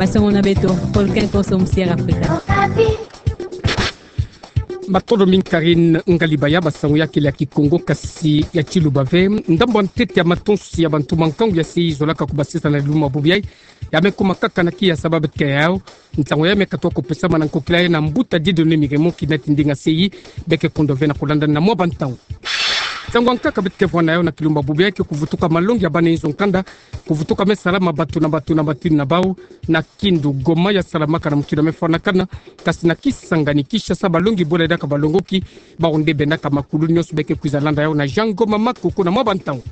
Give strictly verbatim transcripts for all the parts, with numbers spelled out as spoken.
Basango na beto, Volcan Kosom, Sierra Africa. Matondo mingi Karine Ngalibaya. Basango ya kele ya Kikongo kasi ya tiluba ve. Ndambu ya ntete ya matonsi ya bantu mankangu ya sei zolaka kubasisa na kilumbu ya bubu yai, ya me kuma kaka na kiya sababu ke yao. Nsangu ya me katoa kupesama na nkokila ya na mbuta Dieudonné Miremont, kinati ndinga sei, beke kondo ve na kulanda na mwa bantangu. Nsangu ya nkaka beto ke vwanda yao na kilumbu ya bubu yai ke kuvutuka malongi ya bana nzo nkanda, kuvutuka me salama batu na batu na batu na bau, na Kindu, Goma ya salamaka na mutindu ya me fwanakana, kasi na Kisangani, Kinshasa, balongi bole diaka balongoki, bau nde bendaka makulu. Nionso beke kwiza landa yao na Jean Ngoma Makoko na mwa bantangu.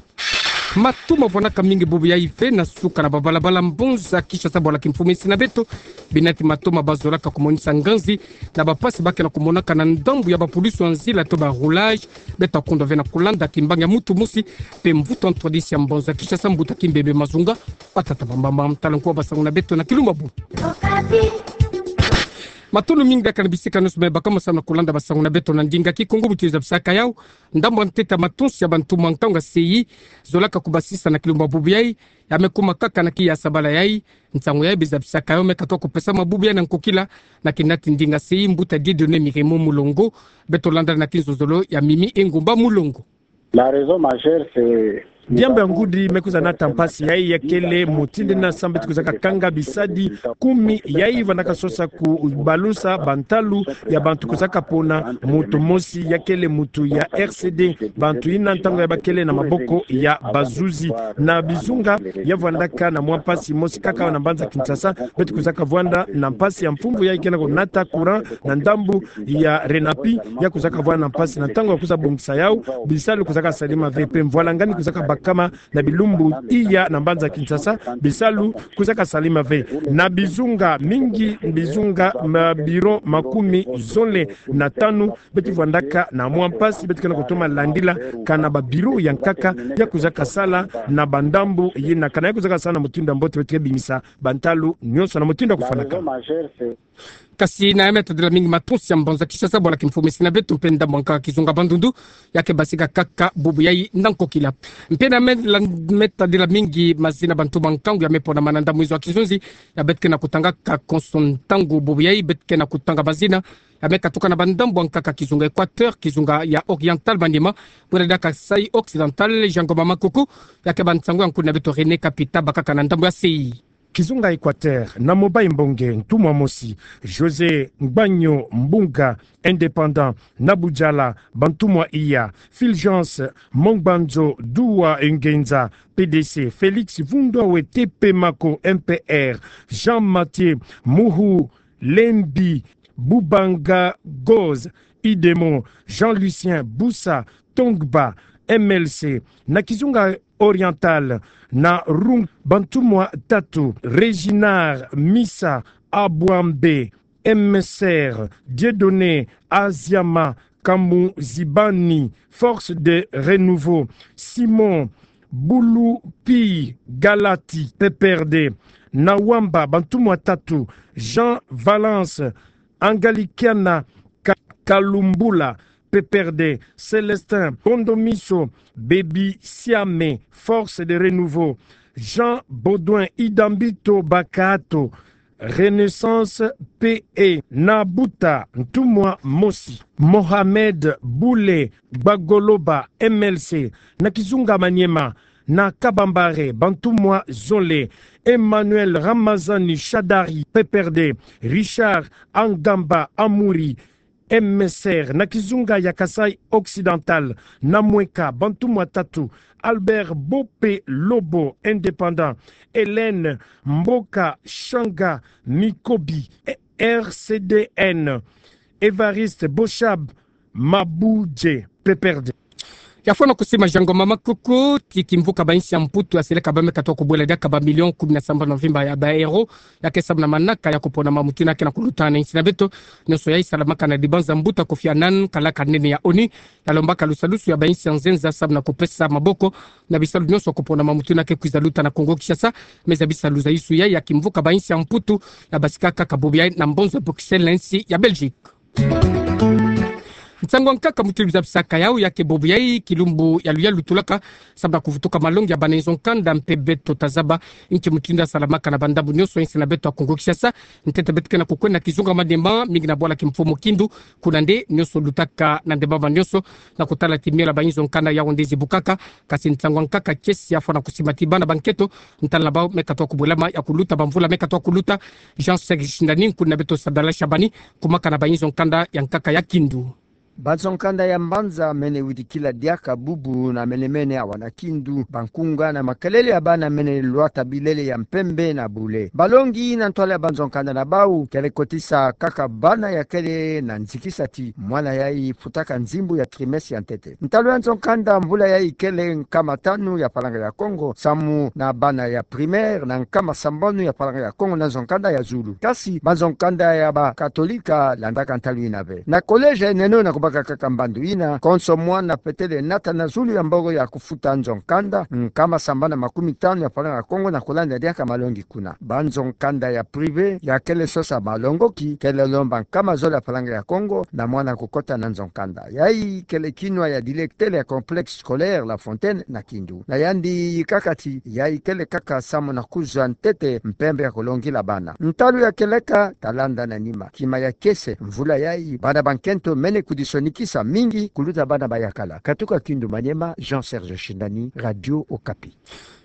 Matoma vwanaka mingi bubu yai ve na suka na babalabala mbonza Kinshasa, bwala kimfumu insi na beto. Binati matoma bazolaka kumonisa nganzi na bapasi bake na kumonaka na ndambu ya bapulusi ya nzila to ba rouage. Beto kondo ve na kulanda kimbangi ya mutu mosi, mpe mvutu ntwadisi ya mbonza Kinshasa, mbuta Kimbembe Mazunga. Batata bambamba, tala nkuwa basango na beto na kilumbu ya bubu. Matondo mingi diaka na bisika nionso me baka mo sa na kulanda basango na beto na ndinga Kikongo. Buti zabisaka yao, ndambu ya ntete ya matonsi ya bantu mankangu ya sei zolaka kubasisa na kilumbu ya bubu yai, ya me kuma kaka na kiya sabala yai. Nsangu yai beza bisaka yao me katoa kupesama bubu yai na nkokila, na kinati ndinga sei, mbuta Dieudonné Miremont Mulongo. Beto landa na kinzonzolo ya Mimi Engumba Mulongo. La raison majeure, c'est Diambu ya ngudi me kwiza nata mpasi yai ya kele mutindu na sambu beto kwizaka kanga bisadi kumi yai vwandaka sosa kubalusa bantalu ya bantu kwizaka pona mutu mosi ya kele mutu ya R C D. Bantu yina ntangu ya bakele na maboko ya bazuzi. Na bizunga ya vwandaka na mwa mpasi mosi kaka na mbanza Kinshasa, beto kwizaka vwanda na mpasi ya mfumvu yai ke na kunata courant na ndambu ya RENAPI, ya kwizaka vwanda na mpasi na ntangu ya kwiza bongisa yao, bisalu kwizaka salama ve, mpe mvwalangani kwizaka bakama na bilumbu iya na mbanza Kinshasa, bisalu kwizaka salama ve. Na bizunga mingi, bizunga ma bureau makumi zole na tanu, beto vwandaka na mwa mpasi, beto ke na kutoma landila kana ba bureau ya nkaka ya kwizaka sala na bandambu yina, kana ya kwizaka sala na mutindu ya mbote, beto ke bimisa bantalu nionso na mutindu ya kufwanaka. Kasi na ya me tadila mingi matonsi ya mbanza Kinshasa, bwala kimfumu insi na beto, mpe ndambu ya nkaka kizunga Bandundu, ya ke basika kaka bubu yai na nkokila. Mpe na me la-, me tadila mingi mazina bantu mankangu ya me ponama na ndambu izo ya kizunzi, ya beto ke na kutangaka konso ntangu bubu yai, beto ke na kutanga mazina ya me katuka na bandambu ya nkaka kizunga Équateur, kizunga ya Oriental, Maniema, bwela diaka Kasaï Occidental. Jean Ngoma Makoko, ya ke bâ nsangu ya nkuna beto René Kapita, bakaka na ndambu ya sei. Kizunga Équateur, na Mobaye Mbonge, ntumwa mosi, José Ngbanyo Mbunga, indépendant, na Bujala, bantumwa iya, Fulgence Mongbanzo Duwa Ngenza, P D C, Félix Vundwa Wete Pemako, M P R, Jean Mathieu Muhu Lembi Bubanga Goz, Idemo, Jean Lucien Busa Tongba, M L C, na kizunga Oriental, na Rung, bantumwa tatu, Réginard Misa Abouambé, M S R, Dieudonné Aziama Kamuzibani, Force de Renouveau, Simon Bulupi Galati, P P R D, na Wamba, bantumwa tatu, Jean Valence Angalikiana Ka-, Kalumbula, P P R D, Célestin Bondomiso, Baby Siame, Force de Renouveau, Jean Baudouin Idambito Bakato, Renaissance P E, na Buta ntumwa mosi, Mohamed Bule Gbagoloba, M L C, na kizunga Maniema, na Kabambare, bantumwa zole, Emmanuel Ramazani Shadari, P P R D, Richard Angamba Amuri, M S R, na kizunga ya Kasaï Occidental, na Mweka, bantumwa tatu, Albert Bope Lobo, indépendant, Hélène Mboka Shanga Mikobi, R C D N, Évariste Boshab Mabudje, P P R D. Ya fwana kusima Jean Ngoma Makoko, ti kimvuka ba insi ya Mputu ya seleka ba me katoa kubwela diaka ba million kumi na sambanu ya mvimba ya ba euro, ya ke samu na manaka ya kupona mamutu ina ke na kuluta na insi na beto. Nionso yai salamaka na dibanza mbuta Kofi Annan, kalaka nene ya ONU, ya lombaka lusalusu ya ba insi ya nzenza samu na kupesa maboko na bisalu nionso ya kupona mamutu ina ke kwiza luta na Kongo Kinshasa. Meza bisalu zaisu yai ya kimvuka ba insi ya Mputu, ya basika kaka bubu yai na mbonza Bruxelles na insi ya Belgique. Nsangu ya nkaka mutindu zabisaka yawu ya ke bobo yayi, kilumbu ya luyalu tolaka, samu na kuvutuka malongi ya bana nzo nkanda mpe beto tazaba inki mutindu ya salamaka na bandambu nionso ya nsi na beto ya Kongo Kinshasa. Ntete beto ke na kukwenda kizunga manima mingi na bwala kimfumu Kindu, kuna nde nionso lutaka na ndemama nionso, na kutala ti miole ya ba nzo nkanda yawu nde zibukaka. Kasi nsangu ya nkaka kiese ya fwana kusimba ti bana ba nkento, ntalana bawu me katuka kubwelama ya kuluta, ba mvula me katuka kuluta. Jean Serge Shindani, nkuna beto Sadala Shabani, kumaka na ba nzo nkanda ya nkaka ya Kindu. Ba nzo nkanda ya mbanza mene widikila diaka bubu na menemene awa na Kindu. Ba nkunga na makelele ya bana mene lwata bilele ya mpembe na bule. Balongi na ntwala ya ba nzo nkanda na bawu kele kotisa kaka bana ya kele na nzikisa ti mwana yayi futaka nzimbu ya trimestre ya ntete. Ntalu ya nzo nkanda mvula yayi kele nkama tanu ya falanga ya Kongo, samu na bana ya primaire, na nkama sambanu ya falanga ya Kongo na nzo nkanda ya zulu. Kasi ba nzo nkanda ya ba katolika landaka ntalu yina ve. Na collège neno na kubaka kaka mbandu yina, konso mwana fwetele nata na zulu ya mbongo ya kufuta nzo nkanda, nkama sambanu na makumi tanu ya falanga ya Kongo, na kulanda diaka malongi kuna. Ba nzo nkanda ya privé ya kele sosa malongoki kele lomba nkama zole ya falanga ya Kongo na mwana kukota na nzo nkanda. Yayi kele kinwa ya directeur ya complexe scolaire La Fontaine na Kindu. Na yandi yikaka ti yayi kele kaka samu na kuzwa ntete mpembe ya kulongila bana. Ntalu ya keleka talanda na nima. Kima ya kiese, mvula yayi bana ba nkento mene kudisonikisa mingi kuluta bana ba yakala. Katuka Kindu Maniema, Jean Serge Shindani, Radio Okapi.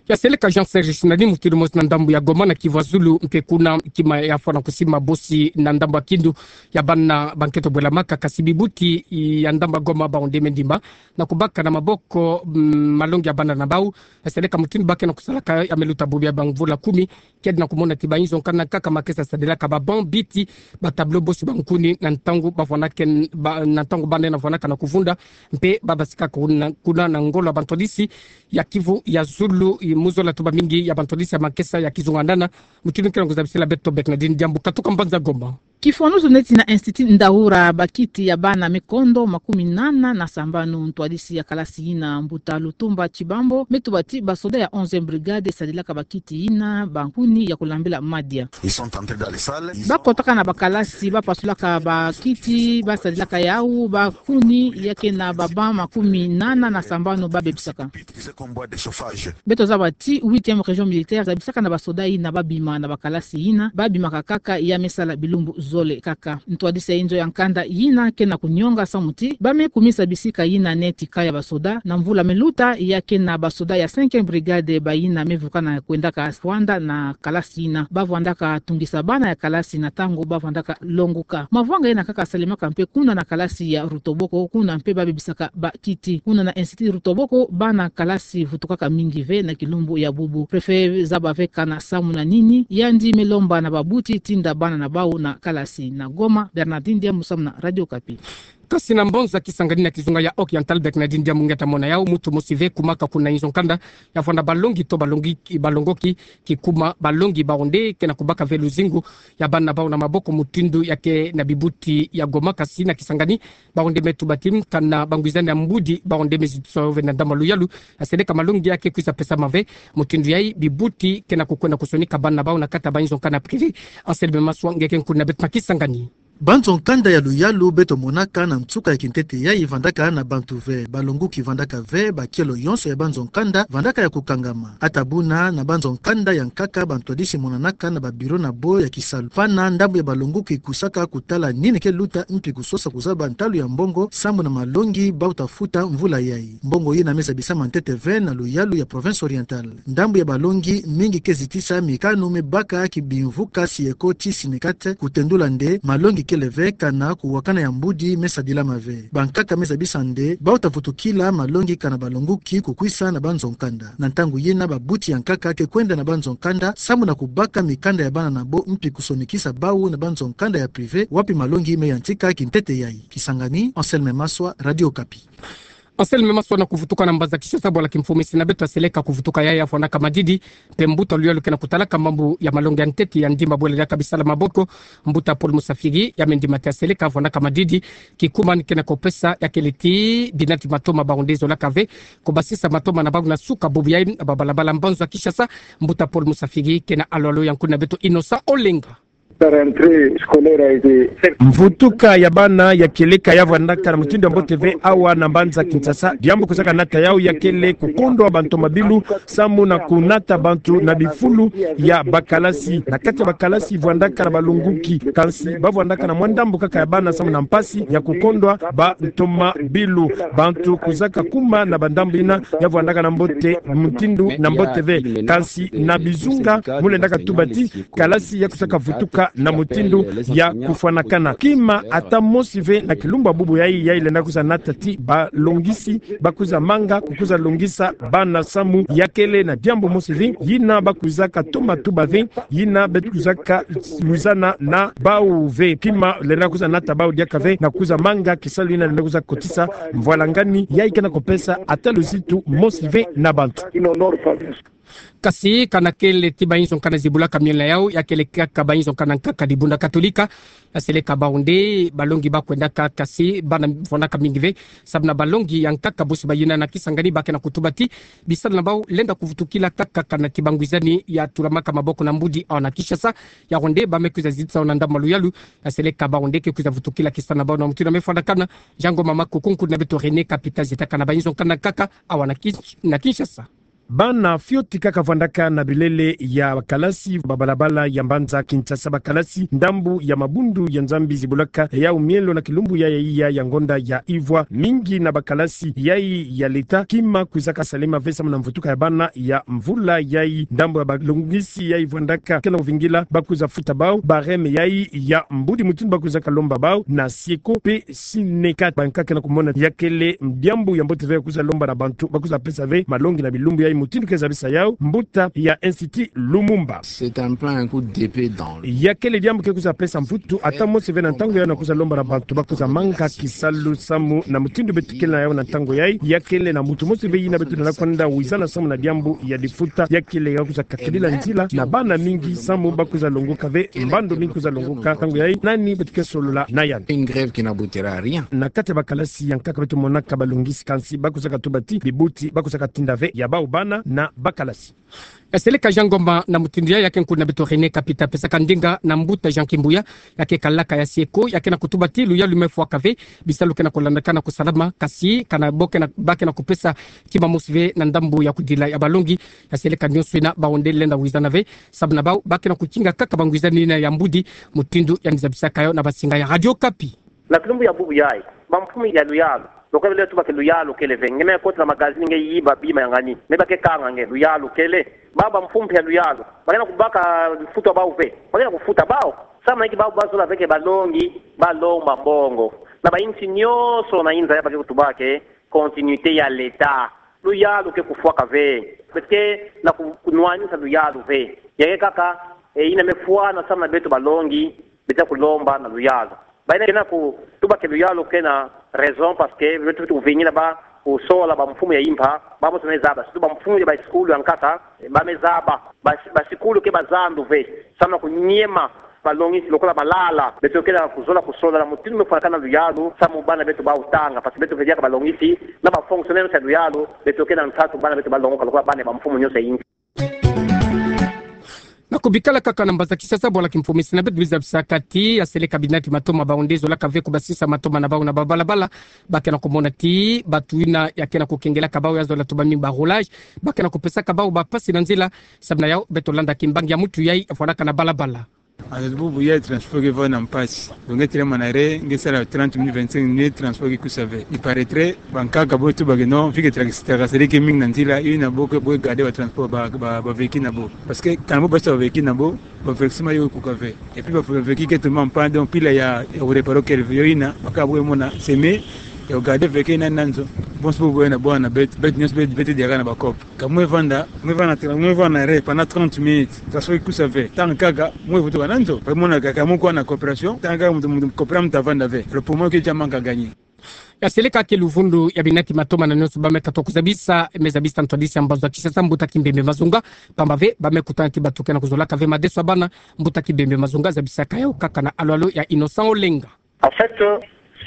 Ya seleka Jean Serge Shindani, mutindu mosi na ndambu ya Goma na Kivu ya zulu, mpe kuna kima ya fwana kusimba bosi na ndambu ya Kindu ya bana ba nkento bwelamaka, kasi bibuti ya ndambu ya Goma bawu nde me ndimba na kubaka na maboko, mm, malongi ya bana na bawu. Ya seleka mutindu ba ke na kusalaka ya me luta bubu ya ba mvula kumi, kedi na kumona ti ba nzo nkanda na nkaka makesa sadilaka ba banc, biti, ba tableau, bosi ba nkuni na ntangu ba fwanaka, ba, na ntangu bana na fwanaka na kuvunda, mpe ba basika kuna, kuna na ngolo ya ba ntwadisi ya Kivu ya zulu, i mu zola tu ba mingi ya ba ntwadisi ya makesa ya kizunga nana, mutindu ke na kuzabisila beto Bernardine Diambu katuka mbanza Goma. Kifwanuzu neti na Institut Ndaura, bakiti ya bana me kondo makumi nana na sambanu. Ntwadisi ya kalasi yina, mbuta Lutumba Tshibambo, me tuba ti ba soda ya onzième brigade sadilaka bakiti yina ba nkuni ya kulambila madia. Ils sont entrés dans les salles, ils ont... Ba kotaka na ba kalasi, ba pasulaka bakiti, ba sadilaka yawu, ba nkuni ya ke na ba banc makumi nana na sambanu ba bebisaka. Ils ont comme boîte de chauffage. Beto zaba ti huitième région militaire zabisaka na ba soda yina ba bima na ba kalasi yina, ba bimaka kaka ya me sala bilumbu zole kaka. Ntwadisi ya inzo ya nkanda yina ke na kunionga samu ti ba me kumisa bisika yina neti kaya ba soda. Na mvula me luta ya ke na ba soda ya cinquième brigade ba yina me vukana kwendaka vwanda na kalasi yina. Ba vwandaka tungisa bana ya kalasi na ntangu ba vwandaka longuka. Mavwanga yina kaka salemaka mpe kuna na kalasi ya Rutoboko, kuna mpe ba bebisaka bakiti. Kuna na Institut Rutoboko, bana kalasi vutukaka mingi ve na kilumbu ya bubu. Préfet zaba ve kana samu na nini, yandi me lomba na babuti tinda bana na bawu na kalasi. Na Goma, Bernardine Diambu samu na Radio Okapi. Kasi na mbanza Kisangani na kizunga ya Occidental, Bernardine Diambu nge ta mona yawu, muntu mosi ve kumaka kuna inzo nkanda ya fwana balongi to balongi, balongoki, kikuma balongi bawu nde ke na kubaka ve luzingu ya bana bawu na maboko mutindu ya ke na bibuti ya Goma. Kasi na Kisangani, bawu nde me tuba ti kana bangwizani ya mbudi bawu nde me zitisa yo ve na ndambu ya luyalu. Ya seleka malongi ya ke kwiza pesama ve. Mutindu yayi bibuti ke na kukwenda kusonika bana bawu na kati ya ba inzo nkanda privé. Anselme Maswa nge ke nkuni na beto na Kisangani. Ba nzo nkanda ya luyalu beto monaka na nsuka ya kintete yayi vandaka na bantu ve, balonguki vandaka ve, ba kielo yonso ya ba nzo nkanda vandaka ya kukangama. Ata buna na ba nzo nkanda ya nkaka ba ntwadisi monanaka na ba bureau na bo ya kisalu. Fana ndambu ya balonguki kusaka kutala nini ke luta mpi kusosa kuzaba ntalu ya mbongo samu na malongi bawu ta futa mvula yayi. Mbongo yina me zabisama ntete ve na luyalu ya Province Orientale. Ndambu ya balongi mingi ke zitisa mikanu me baka ki bimvuka Syneco ti Synecat, kutendula nde malongi kele ve kana kuwakana ya mbudi me sadilama ve. Bankaka me zabisa nde bawu ta vutukila malongi kana balonguki kukwisa na ba nzo nkanda. Na ntangu yina babuti ya nkaka ke kwenda na ba nzo nkanda samu na kubaka mikanda ya bana na bo mpi kusonikisa bawu na ba nzo nkanda ya privé wapi malongi me yantika kintete yayi. Kisangani, Anselme Maswa, Radio Okapi. Anselme Maswa na kuvutuka na mbanza Kinshasa, bwala kimfumu ya nsi na beto. Ya seleka kuvutuka yayi ya fwanaka madidi, mpe mbuta luyalu ke na kutalaka mambu ya malongi ya ntete ya ndimba bwela diaka bisala maboko, mbuta Paul Musafiri, ya me ndima ti ya seleka fwanaka madidi, kikumani ke na kupesa ya kele ti bina ti matoma bawu nde zolaka ve kubasisa matoma na bawu na suka bubu yayi na ba balabala mbanza Kinshasa. Mbuta Paul Musafiri ke na alolo ya nkuni na beto Innocent Olenga. La rentrée scolaire a été... Mvutuka ya bana ya kieleka ya vwandaka na mutindu ya mbote ve awa na mbanza Kinshasa. Diambu kwizaka nata yau ya kele kukondwa bantomabilu samu na kunata bantu na bifulu ya bakalasi. Na kati ya bakalasi vwandaka na balongoki, kansi ba vwandaka na mwa ndambu kaka ya bana samu na mpasi ya kukondwa bantomabilu. Bantu kwizaka kuma na bandambu yina ya vwandaka na mbote mutindu na mbote ve. Kansi na bizunga mu lendaka tuba ti kalasi ya kwizaka vutuka na mutindu ya kufwanakana. Kima ata mosi ve na kilumbu ya bubu yai, yai lenda kwiza nata ti balongisi ba kwiza manga kukwiza longisa bana samu ya kele na diambu mosi ve yina ba kwizaka toma tuba ve, yina beto kwizaka wizana na bau ve. Kima lenda kwiza nata bau diaka ve na kwiza manga kisalu yina lenda kwiza kotisa mvwalangani yai ke na kupesa ata luzitu mosi ve na bantu. Kasi kana kele ti bainzo nkana zibulaka miela yau, ya kele kaka bainzo nkana nkaka dibunda Katolika. Ya seleka bau nde balongi ba kwendaka, kasi bana vwandaka mingi ve. Samu na balongi ya nkaka bosi bayina na Kisangani ba ke na kutuba ti bisalu na bau lenda kuvutukila kaka kana ti bangwizani ya tulamaka maboko na mbudi awa na Kinshasa. Yau nde ba me kwiza zitisa na ndambu ya luyalu. Ya seleka bau nde ke kwiza vutukila kisalu na bau na mutindu ya me fwanakana. Jango mama kukunku na beto René Kapita, zita kana bainzo nkana nkaka awa na Kin-, na Kinshasa. Bana fioti kaka vwandaka na bilele ya bakalasi, babalabala ya mbanza Kinshasa, bakalasi ndambu ya mabundu ya Nzambi zibulaka yau mielo na kilumbu ya, ya iya ya ngonda ya ivwa. Mingi na bakalasi yai ya leta kima kwizaka salema ve samu na mvutuka ya bana ya mvula yai. Ndambu ya balongisi yai vwandaka ke na kuvingila ba kwiza futa bau barème yai ya mbudi mutindu ba kwizaka lomba bau na SIECO pe SYNECAT. Bankaka ke na kumona ya kele diambu ya mbote ve ya kwiza lomba na bantu ba kwiza pesa ve malongi na bilumbu yai, mutindu ke zabisa yau mbuta ya Institut Lumumba. C'est un peu un coup d'épée dans le... Ya kele diambu ke kwiza pesa mvutu ata mosi ve na ntangu yai na kwiza lomba na bantu ba kwiza manga kisalu samu na mutindu beto kele na yau na ntangu yai. Ya kele na muntu mosi ve yina beto lenda kwenda wizana samu na diambu ya difuta. Ya kele ya kwiza kakadila nzila na bana mingi samu ba kwiza longoka ve, mbandu mingi kwiza longoka ntangu yai. Nani beto ke solola na yandi? Une grève qui n'aboutira à rien. Na kati ya bakalasi ya nkaka beto monaka balongisi, kansi ba kwizaka tuba ti bibuti ba kwizaka tinda ve ya bau bana na bakalasi. Ya seleka Jean Ngoma na mutindu yai. Ya ke nkuna beto René Kapita pesaka ndinga na mbuta Jean Kimbuya, ya ke kalaka ya SIECO, ya ke na kutuba ti luyalu me fwaka ve, bisalu ke na kulandakana kusalama, kasi kana bo ke na, ba ke na kupesa kima mosi ve na ndambu ya kudila ya balongi. Ya seleka nionso yina bau nde lenda wizana ve samu na bau ba ke na kukinga kaka bangwizani yina ya mbudi, mutindu yandi zabisaka yau na basinga ya Radio Okapi. Na kilumbu ya bubu yai, bamfumu ya luyalu, lo ka bele tuba ke luyalu kele ve, nge me kota na magazini nge yiba bima ya ngani, me ba ke kanga nge luyalu kele. Ba, bamfumu ya luyalu ba ke na kubaka futa bau ve, ba ke na kufuta bau. Samu na inki? Bau ba zola ve ke balongi ba lomba mbongo. Na bainsi nionso na inza ya ba ke kutuba ke continuité ya l'État. Luyalu ke kufwaka ve. Beto ke na ku-, kunwanisa luyalu ve. Ya ke kaka, e, yina me fwana samu na beto balongi, beto kulomba na luyalu. Ba yina ke na kutuba ke luyalu ke na raison, parce que beto, beto kuvingila ba kusola bamfumu ya impa, ba mosi me zaba, surtout bamfumu ya basikulu ya nkaka, ba me zaba, ba, basikulu ke bazandu ve, samu na kunyema balongisi lokola malala. Beto ke na kuzola kusola na mutindu me fwanakana luyalu, samu bana beto bau tanga, parce que beto ke diaka balongisi, na ba fonctionnaire ya luyalu, beto ke na nsatu bana beto balongoka lokola bana ya bamfumu nionso ya insi. Na kubikala kaka na mbanza Kinshasa, bwala kimfumu, si na beto biza bisaka ti ya seleka binati matoma bau nde zolaka ve kubasisa matoma na bau na babalabala, ba ke na kumona ti bantu yina ya ke na kukengelaka bau ya zola tuba mingi ba roulage, ba ke na kupesaka bau bampasi na nzila. Samu na yau beto landa kimbangi ya muntu yai ya fwanaka na balabala. Ata bubu yai transport ke vanda mpasi. Donc nge telema na arrêt, nge sala trente minutes, vingt-cinq minutes, transport ke kusa ve. Il paraîtrait, bankaka bo tuba ke non, vu que tra-, tracasserie ke mingi na nzila, yina bo ke, bo ke garder batransport, ba, ba, bavéhicule na bo. Parce que kana bo basa bavéhicule na bo, ba avertissement yo kuka ve. Et puis ba véhicule ke toma en panne, donc pila ya, ya kuréparer kele ve. Yo yina, baka bo mona, semi, ya kugarder véhicule yina na nzo. Bon, c'est pour vous, na bo na beto, beto nionso beto, beto diaka na ba cop. Ka mwe vanda, mwe vanda tra-, mwe vanda arrêt pendant trente minutes. Transport ke kusa ve. Ntangu kaka, mwe vutuka na nzo. Ba mona kaka mwe kuwa na coopération. Ntangu kaka muntu, muntu coopérer, muntu vanda ve. Le problème ke diambu ka gagner. Ya seleka ke luvunu ya binati matoma na nionso ba me katuka kuzabisa, me zabisa ntwadisi ya mbanza Kinshasa, mbuta Kimbembe Mazunga. Pamba ve, ba me kutana ti bantu ke na kuzolaka ve madeso ya bana, mbuta Kimbembe Mazunga zabisaka yau kaka na alo-alo ya Innocent Olenga. En fait, euh,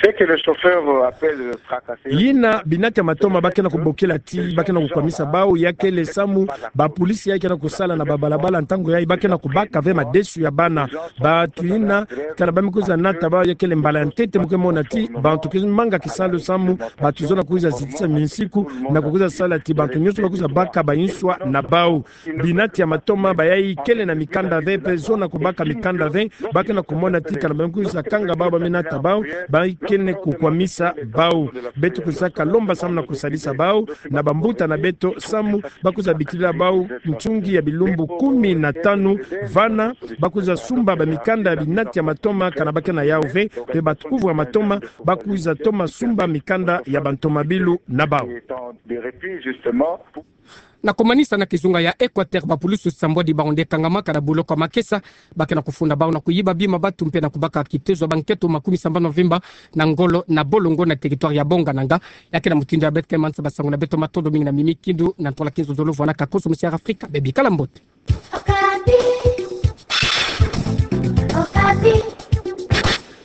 Ce que le chauffeur appelle tracasser. Yina binati ya matoma ba ke na kubokila ti ba ke na kukwamisa bau, ya kele samu bapolisi yayi ke na kusala na babalabala, ntangu yayi ba ke na kubaka ve madesu ya bana. Bantu yina, kana ba me kwiza nata bau, ya kele mbala ya ntete mu ke mona ti bantu ke manga kisalu samu bantu zola kwiza zitisa minsiku, na kukwiza sala ti bantu nyonso ba kwiza baka banswa na bau. Binati ya matoma bayayi kele na mikanda ve, mpe zo na kubaka mikanda ve, ba ke na kumona ti kana ba me kwiza kanga bau, ba me nata bau, ba ke na kukwamisa bau. Beto kwiza kalomba samu na kusalisa bau na bambuta na beto samu ba kwiza bikila bau ntungi ya bilumbu kumi na tanu, vana ba kwiza sumba bamikanda ya binati ya matoma kana ba ke na yau ve, mpe bakuvu ya matoma ba kwiza toma sumba mikanda ya bantomabilu na bau. Na kumanisa na kizunga ya Equateur, bapulusu sambwadi bau nde kangama kana boloko ya makesa, ba ke na kufunda bau na kuyiba bima batu mpe na kubaka kitezo ya bankento makumi sambanu ya mvimba na ngolo na bolongo na territoire ya Bongananga. Ya ke na mutindu ya beto ke manisa basango na beto, matondo mingi na Mimi Kindu na ntwala Kinzo Zolo vwana ka koso musi ya Afrika, bebikala mbote. Okapi. Okapi.